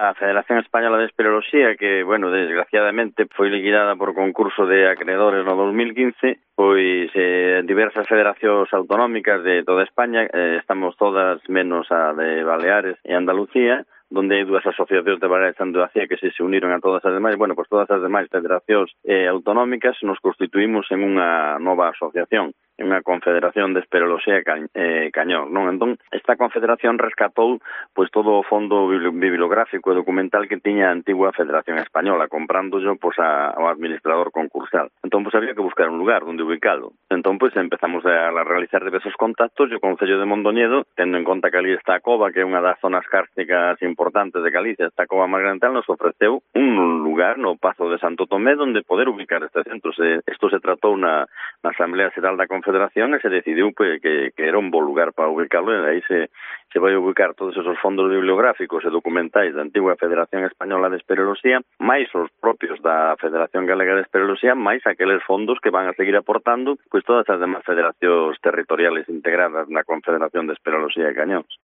A Federación Española de Espeleoloxía, que, bueno, desgraciadamente foi liquidada por concurso de acreedores no 2015, pois diversas federacións autonómicas de toda España, estamos todas menos a de Baleares e Andalucía, donde hai dúas asociacións de Baleares e Andalucía que se uniron a todas as demais, bueno, pois todas as demais federacións autonómicas nos constituímos en unha nova asociación, en unha confederación de Espeleoloxía Cañón, non? Entón, esta confederación rescatou pois todo o fondo bibliográfico e documental que tiña a antigua Federación Española, comprándollo pois ao administrador concursal. Entón, pois había que buscar un lugar onde ubicalo. Entón, pois empezamos a realizar diversos contactos e o Concello de Mondoñedo, tendo en conta que ali está a cova, que é unha das zonas cársticas importantes de Galicia, esta cova máis grande, nos ofreceu un lugar no Pazo de Santo Tomé onde poder ubicar este centro. Isto se tratou na Asamblea Xeral da Confederación e se decidiu que era un bo lugar para ubicarlo, e aí se vai ubicar todos esos fondos bibliográficos e documentais da antigua Federación Española de Espeleoloxía, máis os propios da Federación Galega de Espeleoloxía, máis aqueles fondos que van a seguir aportando pois todas as demás federacións territoriales integradas na Confederación de Espeleoloxía de Cañóns.